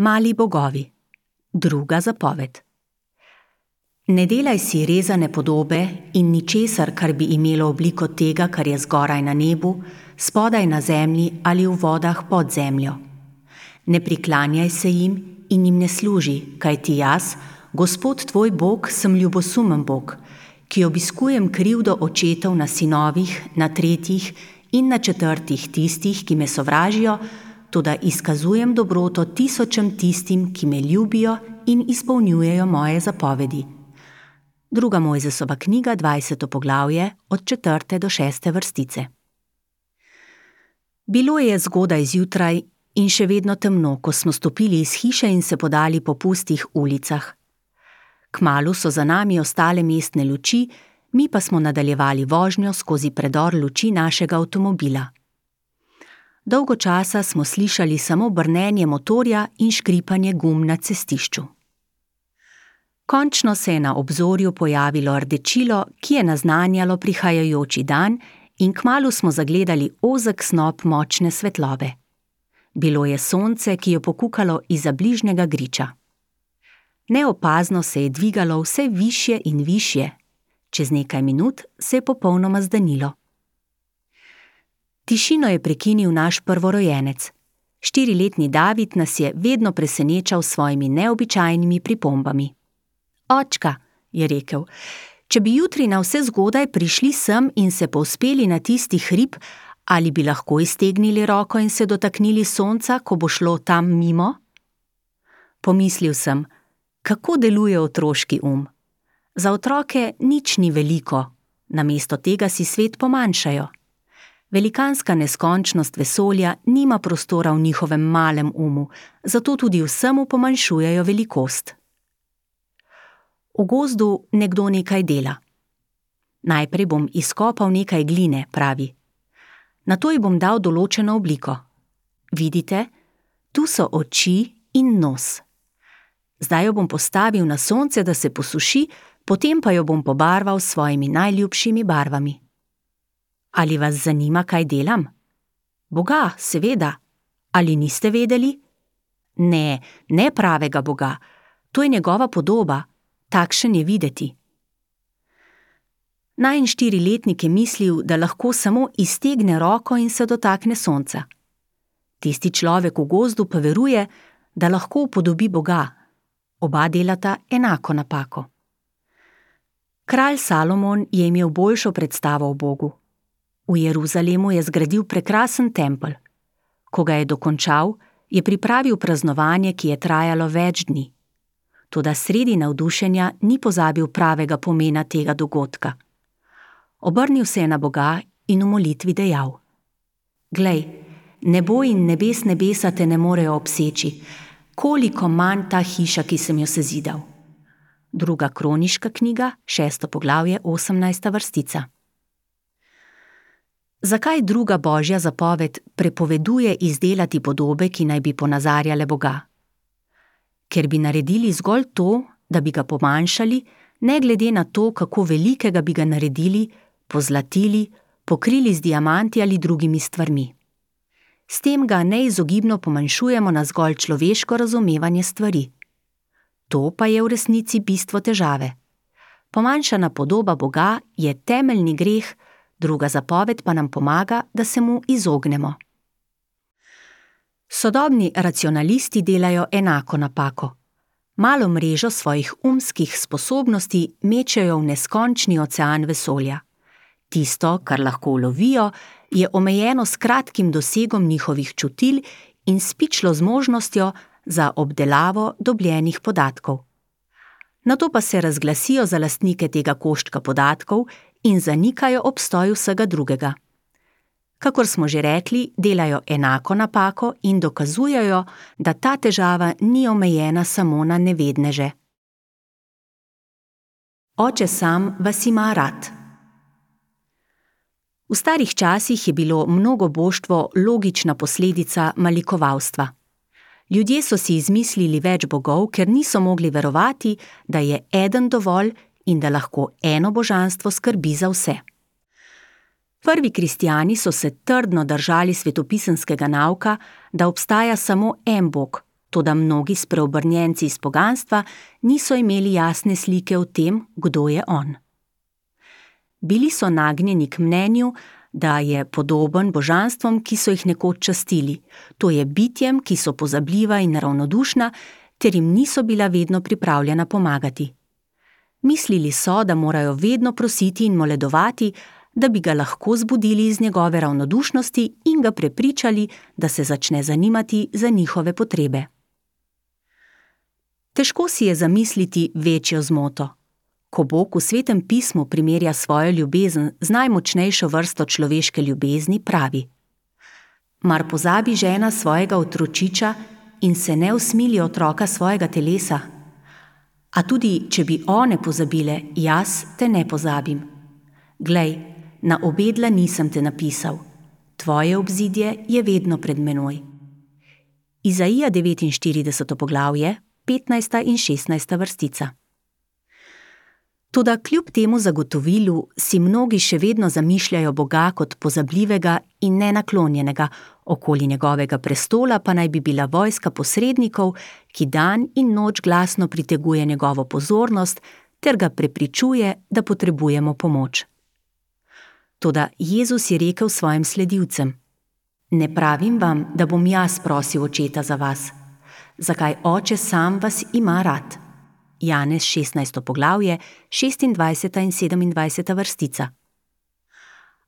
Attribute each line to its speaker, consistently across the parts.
Speaker 1: Mali bogovi. Druga zapoved. Ne delaj si rezane podobe in ničesar, kar bi imelo obliko tega, kar je zgoraj na nebu, spodaj na zemlji ali v vodah pod zemljo. Ne priklanjaj se jim in jim ne služi, kajti jaz, Gospod tvoj Bog, sem ljubosumen Bog, ki obiskujem krivdo očetov na sinovih, na tretjih in na četrtih tistih, ki me sovražijo, toda izkazujem dobroto tisočem tistim, ki me ljubijo in izpolnjujejo moje zapovedi. Druga Mojzesova knjiga, 20. poglavje, od 4. do 6. vrstice. Bilo je zgodaj zjutraj in še vedno temno, ko smo stopili iz hiše in se podali po pustih ulicah. Kmalu so za nami ostale mestne luči, mi pa smo nadaljevali vožnjo skozi predor luči našega avtomobila. Dolgo časa smo slišali samo brnenje motorja in škripanje gum na cestišču. Končno se je na obzorju pojavilo rdečilo, ki je naznanjalo prihajajoči dan, in kmalu smo zagledali ozek snop močne svetlobe. Bilo je sonce, ki je pokukalo izza bližnjega griča. Neopazno se je dvigalo vse višje in višje. Čez nekaj minut se je popolnoma zdanilo. Tišino je prekinil naš prvorojenec. 4-letni David nas je vedno presenečal s svojimi neobičajnimi pripombami. Očka, je rekel, če bi jutri na vse zgodaj prišli sem in se povzpeli na tisti hrib, ali bi lahko iztegnili roko in se dotaknili sonca, ko bo šlo tam mimo? Pomislil sem, kako deluje otroški Za otroke nič ni veliko, namesto tega si svet pomanjšajo. Velikanska neskončnost vesolja nima prostora v njihovem malem zato tudi vsemu pomanjšujejo velikost. V gozdu nekdo nekaj dela. Najprej bom izkopal nekaj gline, pravi. Nato ji bom dal določeno obliko. Vidite, tu so oči in nos. Zdaj jo bom postavil na sonce, da se posuši, potem pa jo bom pobarval s svojimi najljubšimi barvami. Ali vas zanima, kaj delam? Boga, seveda. Ali niste vedeli? Ne, ne pravega Boga. To je njegova podoba. Takšen je videti. Najin 4-letnik je mislil, da lahko samo iztegne roko in se dotakne sonca. Tisti človek v gozdu pa veruje, da lahko upodobi Boga. Oba delata enako napako. Kralj Salomon je imel boljšo predstavo o Bogu. V Jeruzalemu je zgradil prekrasen tempelj. Ko ga je dokončal, je pripravil praznovanje, ki je trajalo več dni. Toda sredi navdušenja ni pozabil pravega pomena tega dogodka. Obrnil se je na Boga in v molitvi dejal: Glej, nebo in nebesa te ne morejo obseči, koliko manj ta hiša, ki sem jo sezidal. Druga Kroniška knjiga, 6. poglavje, 18. vrstica. Zakaj druga Božja zapoved prepoveduje izdelati podobe, ki naj bi ponazarjale Boga? Ker bi naredili zgolj to, da bi ga pomanjšali, ne glede na to, kako velikega bi ga naredili, pozlatili, pokrili z diamanti ali drugimi stvarmi. S tem ga neizogibno pomanjšujemo na zgolj človeško razumevanje stvari. To pa je v resnici bistvo težave. Pomanjšana podoba Boga je temeljni greh, druga zapoved pa nam pomaga, da se mu izognemo. Sodobni racionalisti delajo enako napako. Malo mrežo svojih umskih sposobnosti mečejo v neskončni ocean vesolja. Tisto, kar lahko ulovijo, je omejeno s kratkim dosegom njihovih čutil in s pičlo zmožnostjo za obdelavo dobljenih podatkov. Nato pa se razglasijo za lastnike tega koščka podatkov in zanikajo obstoj vsega drugega. Kakor smo že rekli, delajo enako napako in dokazujejo, da ta težava ni omejena samo na nevedneže. Oče sam vas ima rad. V starih časih je bilo mnogoboštvo logična posledica malikovalstva. Ljudje so si izmislili več bogov, ker niso mogli verovati, da je eden dovolj in da lahko eno božanstvo skrbi za vse. Prvi kristjani so se trdno držali svetopisemskega nauka, da obstaja samo en Bog, Toda mnogi spreobrnjenci iz poganstva niso imeli jasne slike o tem, kdo je on. Bili so nagnjeni k mnenju, da je podoben božanstvom, ki so jih nekoč častili, to je bitjem, ki so pozabljiva in ravnodušna, ter jim niso bila vedno pripravljena pomagati. Mislili so, da morajo vedno prositi in moledovati, da bi ga lahko zbudili iz njegove ravnodušnosti in ga prepričali, da se začne zanimati za njihove potrebe. Težko si je zamisliti večjo zmoto. Ko Bog v Svetem pismu primerja svojo ljubezen z najmočnejšo vrsto človeške ljubezni, pravi: Mar pozabi žena svojega otročiča in se ne usmili otroka svojega telesa? A tudi, če bi one pozabile, jaz te ne pozabim. Glej, na obe dlani sem te napisal, tvoje obzidje je vedno pred menoj. Izaija 49. poglavje, 15. in 16. vrstica. Toda kljub temu zagotovilu si mnogi še vedno zamišljajo Boga kot pozabljivega in nenaklonjenega, okoli njegovega prestola pa naj bi bila vojska posrednikov, ki dan in noč glasno priteguje njegovo pozornost ter ga prepričuje, da potrebujemo pomoč. Toda Jezus je rekel svojim sledilcem: Ne pravim vam, da bom jaz prosil očeta za vas. Zakaj oče sam vas ima rad? Janez 16. poglavje, 26. in 27. vrstica.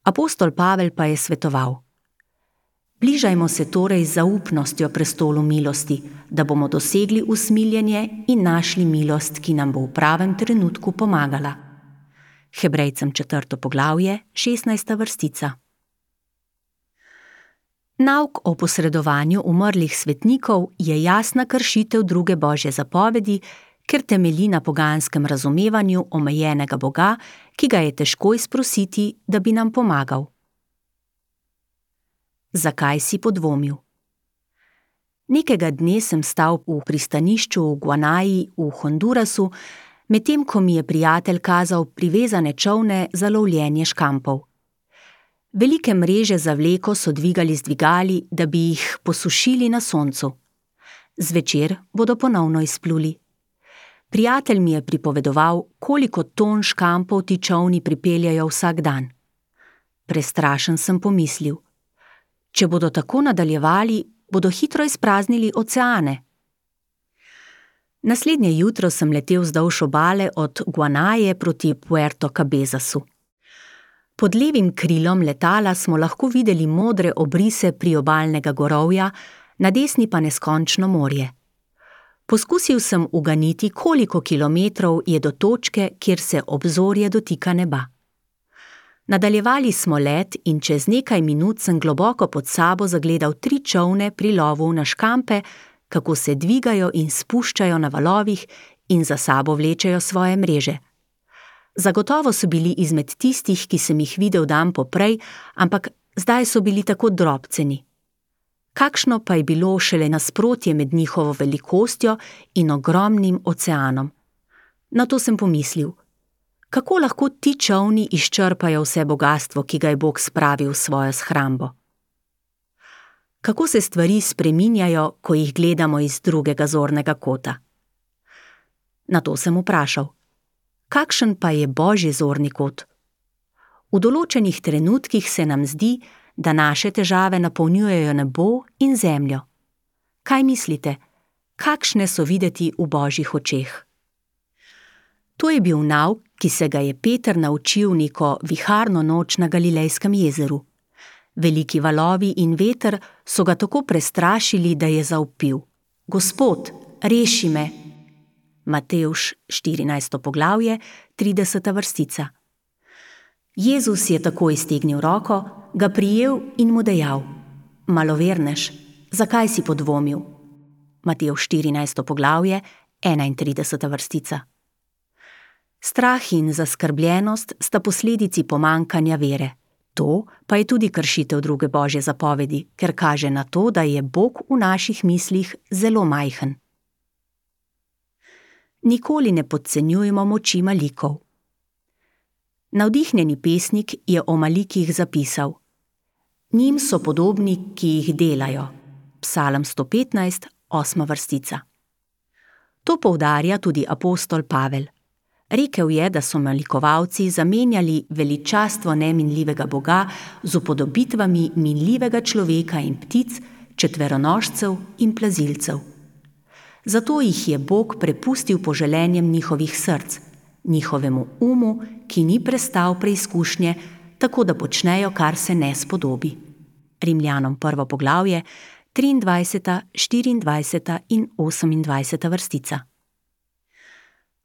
Speaker 1: Apostol Pavel pa je svetoval: Bližajmo se torej z zaupnostjo prestolu milosti, da bomo dosegli usmiljenje in našli milost, ki nam bo v pravem trenutku pomagala. Hebrejcem 4. poglavje, 16. vrstica. Nauk o posredovanju umrlih svetnikov je jasna kršitev druge Božje zapovedi, ker temelji na poganskem razumevanju omejenega Boga, ki ga je težko izprositi, da bi nam pomagal. Zakaj si podvomil? Nekega dne sem stal v pristanišču v Guanaji v Hondurasu, medtem ko mi je prijatelj kazal privezane čolne za lovljenje škampov. Velike mreže za vleko so dvigali z dvigali, da bi jih posušili na soncu. Zvečer bodo ponovno izpluli. Prijatelj mi je pripovedoval, koliko ton škampov ti čolni pripeljajo vsak dan. Prestrašen sem pomislil: če bodo tako nadaljevali, bodo hitro izpraznili oceane. Naslednje jutro sem letel vzdolž obale od Guanaje proti Puerto Cabezasu. Pod levim krilom letala smo lahko videli modre obrise priobalnega gorovja, na desni pa neskončno morje. Poskusil sem uganiti, koliko kilometrov je do točke, kjer se obzorje dotika neba. Nadaljevali smo let in čez nekaj minut sem globoko pod sabo zagledal 3 čolne pri lovu na škampe, kako se dvigajo in spuščajo na valovih in za sabo vlečejo svoje mreže. Zagotovo so bili izmed tistih, ki sem jih videl dan poprej, ampak zdaj so bili tako drobceni. Kakšno pa je bilo šele nasprotje med njihovo velikostjo in ogromnim oceanom. Na to sem pomislil: kako lahko ti čolni izčrpajo vse bogastvo, ki ga je Bog spravil v svojo shrambo? Kako se stvari spreminjajo, ko jih gledamo iz drugega zornega kota? Na to sem vprašal: kakšen pa je Božji zorni kot? V določenih trenutkih se nam zdi, da naše težave napolnjujejo nebo in zemljo. Kaj mislite, kakšne so videti v Božjih očeh? To je bil nauk, ki se ga je Peter naučil neko viharno noč na Galilejskem jezeru. Veliki valovi in veter so ga tako prestrašili, da je zavpil: Gospod, reši me! Matevž 14. poglavje, 30. vrstica. Jezus je tako iztegnil roko, ga prijel in mu dejal: Malovernež, zakaj si podvomil? Matevž 14. poglavje, 31. vrstica. Strah in zaskrbljenost sta posledici pomanjkanja vere. To pa je tudi kršitev druge Božje zapovedi, ker kaže na to, da je Bog v naših mislih zelo majhen. Nikoli ne podcenjujemo moči malikov. Navdihnjeni pesnik je o malikih zapisal: Njim so podobni, ki jih delajo. Psalm 115, 8. vrstica. To poudarja tudi apostol Pavel. Rekel je, da so malikovalci zamenjali veličastvo neminljivega Boga z upodobitvami minljivega človeka in ptic, četveronožcev in plazilcev. Zato jih je Bog prepustil poželenjem njihovih src, njihovemu umu, ki ni prestal preizkušnje, tako da počnejo, kar se ne spodobi. Rimljanom 1. poglavje, 23., 24. in 28. vrstica.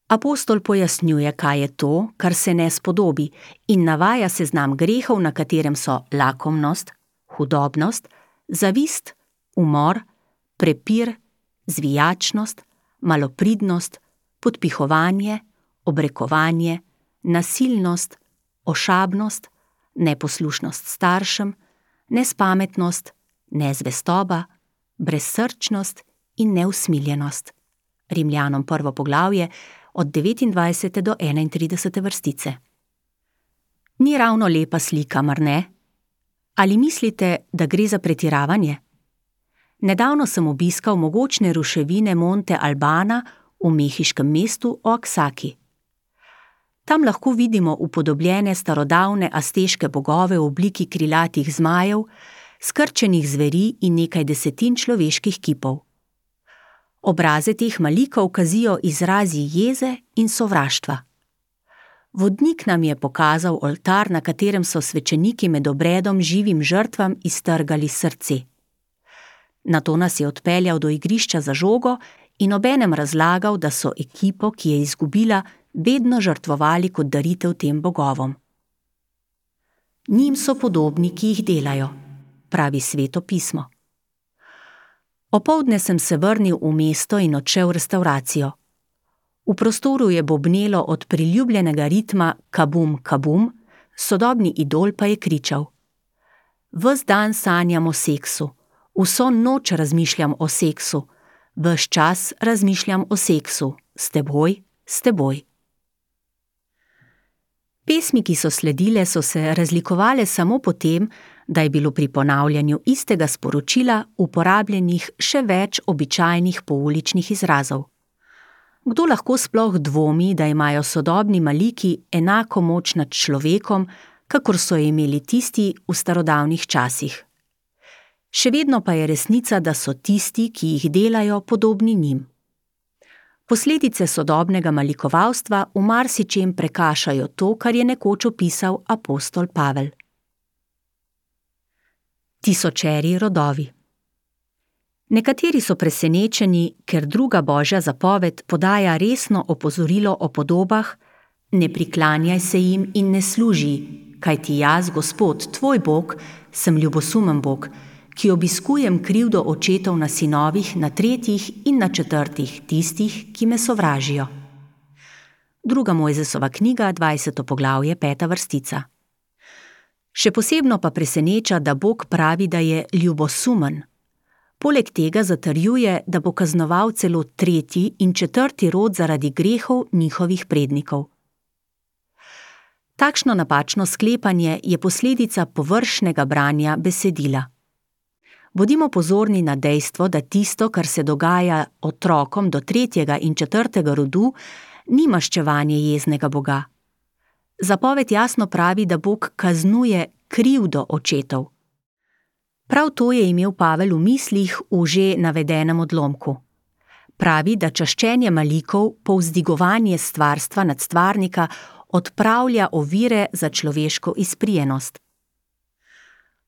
Speaker 1: Apostol pojasnjuje, kaj je to, kar se ne spodobi, in navaja seznam grehov, na katerem so lakomnost, hudobnost, zavist, umor, prepir, zvijačnost, malopridnost, podpihovanje, obrekovanje, nasilnost, ošabnost, neposlušnost staršem, nespametnost, nezvestoba, brezsrčnost in neusmiljenost. Rimljanom 1. poglavje od 29. do 31. vrstice. Ni ravno lepa slika, mar ne? Ali mislite, da gre za pretiravanje? Nedavno sem obiskal mogočne ruševine Monte Albana v mehiškem mestu Oaxaci. Tam lahko vidimo upodobljene starodavne azteške bogove v obliki krilatih zmajev, skrčenih zveri in nekaj desetin človeških kipov. Obraze teh malikov kazijo izrazi jeze in sovraštva. Vodnik nam je pokazal oltar, na katerem so svečeniki med obredom živim žrtvam iztrgali srce. Nato nas je odpeljal do igrišča za žogo in obenem razlagal, da so ekipo, ki je izgubila, vedno žrtvovali kot daritev tem bogovom. Njim so podobni, ki jih delajo, pravi Sveto pismo. Opoldne sem se vrnil v mesto in odšel v restavracijo. V prostoru je bobnelo od priljubljenega ritma kabum, kabum, sodobni idol pa je kričal: Ves dan sanjam o seksu, vso noč razmišljam o seksu, ves čas razmišljam o seksu, s teboj, s teboj. Pesmi, ki so sledile, so se razlikovale samo po tem, da je bilo pri ponavljanju istega sporočila uporabljenih še več običajnih pouličnih izrazov. Kdo lahko sploh dvomi, da imajo sodobni maliki enako moč nad človekom, kakor so imeli tisti v starodavnih časih? Še vedno pa je resnica, da so tisti, ki jih delajo, podobni njim. Posledice sodobnega malikovalstva v marsičem prekašajo to, kar je nekoč opisal apostol Pavel. Tisočeri rodovi. Nekateri so presenečeni, ker druga Božja zapoved podaja resno opozorilo o podobah: ne priklanjaj se jim in ne služi, kajti jaz, Gospod, tvoj Bog, sem ljubosumen Bog, ki obiskujem krivdo očetov na sinovih, na tretjih in na četrtih tistih, ki me sovražijo. 2. Mojzesova knjiga, 20. poglavje, 5. vrstica. Še posebno pa preseneča, da Bog pravi, da je ljubosumen. Poleg tega zatrjuje, da bo kaznoval celo tretji in četrti rod zaradi grehov njihovih prednikov. Takšno napačno sklepanje je posledica površnega branja besedila. Bodimo pozorni na dejstvo, da tisto, kar se dogaja otrokom do tretjega in četrtega rodu, ni maščevanje jeznega Boga. Zapoved jasno pravi, da Bog kaznuje krivdo očetov. Prav to je imel Pavel v mislih v že navedenem odlomku. Pravi, da čaščenje malikov, povzdigovanje stvarstva nad stvarnika, odpravlja ovire za človeško izprijenost.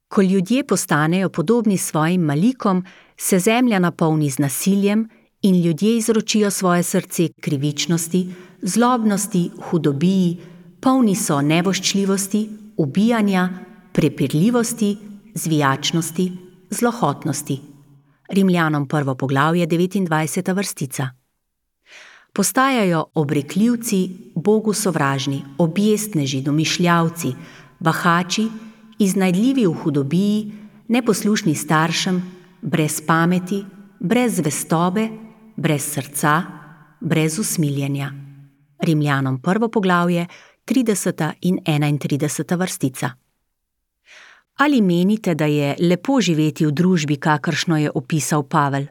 Speaker 1: Ko ljudje postanejo podobni svojim malikom, se zemlja napolni z nasiljem in ljudje izročijo svoje srce krivičnosti, zlobnosti, hudobiji, polni so nevoščljivosti, ubijanja, prepirljivosti, zvijačnosti, zlohotnosti. Rimljanom 1. poglavje, 29. vrstica. Postajajo obrekljivci, Bogu sovražni, objestneži, domišljavci, bahači, iznajdljivi v hudobiji, neposlušni staršem, brez pameti, brez zvestobe, brez srca, brez usmiljenja. Rimljanom 1. poglavje, 30. in 31. vrstica. Ali menite, da je lepo živeti v družbi, kakršno je opisal Pavel?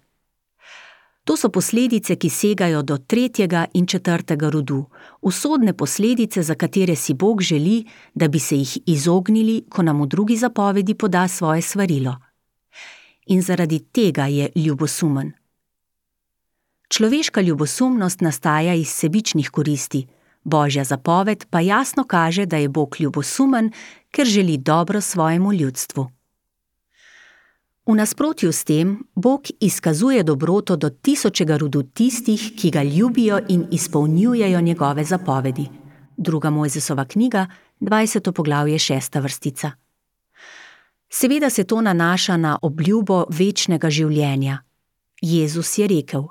Speaker 1: To so posledice, ki segajo do 3. in 4. rodu, usodne posledice, za katere si Bog želi, da bi se jih izognili, ko nam v 2. zapovedi poda svoje svarilo. In zaradi tega je ljubosumen. Človeška ljubosumnost nastaja iz sebičnih koristi, Božja zapoved pa jasno kaže, da je Bog ljubosumen, ker želi dobro svojemu ljudstvu. V nasprotju s tem, Bog izkazuje dobroto do 1000. rodu tistih, ki ga ljubijo in izpolnjujejo njegove zapovedi. 2. Mojzesova knjiga, 20. poglavje, 6. vrstica. Seveda se to nanaša na obljubo večnega življenja. Jezus je rekel: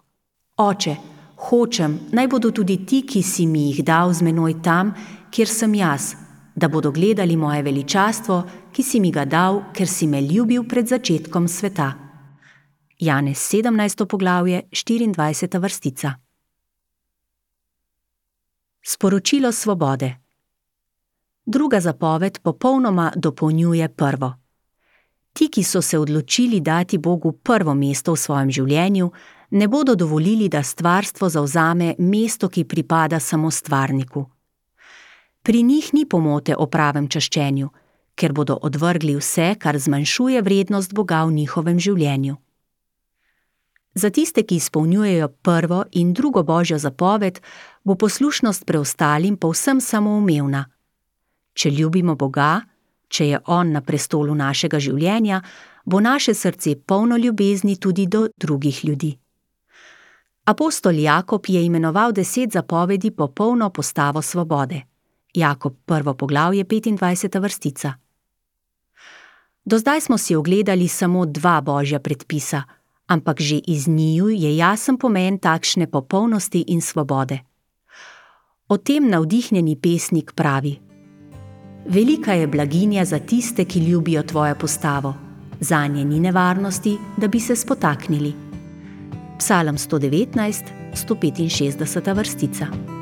Speaker 1: Oče, hočem, naj bodo tudi ti, ki si mi jih dal z menoj tam, kjer sem jaz, da bodo gledali moje veličastvo, ki si mi ga dal, ker si me ljubil pred začetkom sveta. Janez 17. poglavje, 24. vrstica. Sporočilo svobode. 2. zapoved popolnoma dopolnjuje 1. Ti, ki so se odločili dati Bogu prvo mesto v svojem življenju, ne bodo dovolili, da stvarstvo zavzame mesto, ki pripada samo stvarniku. Pri njih ni pomote o pravem čaščenju, ker bodo odvrgli vse, kar zmanjšuje vrednost Boga v njihovem življenju. Za tiste, ki izpolnjujejo 1. in 2. Božjo zapoved, bo poslušnost preostalim povsem samoumevna. Če ljubimo Boga, če je On na prestolu našega življenja, bo naše srce polno ljubezni tudi do drugih ljudi. Apostol Jakob je imenoval 10 zapovedi popolno postavo svobode. Jakob 1. poglavje, 25. vrstica. Do zdaj smo si ogledali samo 2 Božja predpisa, ampak že iz njiju je jasen pomen takšne popolnosti in svobode. O tem navdihnjeni pesnik pravi: Velika je blaginja za tiste, ki ljubijo tvojo postavo, zanje ni nevarnosti, da bi se spotaknili. Psalm 119, 165. vrstica.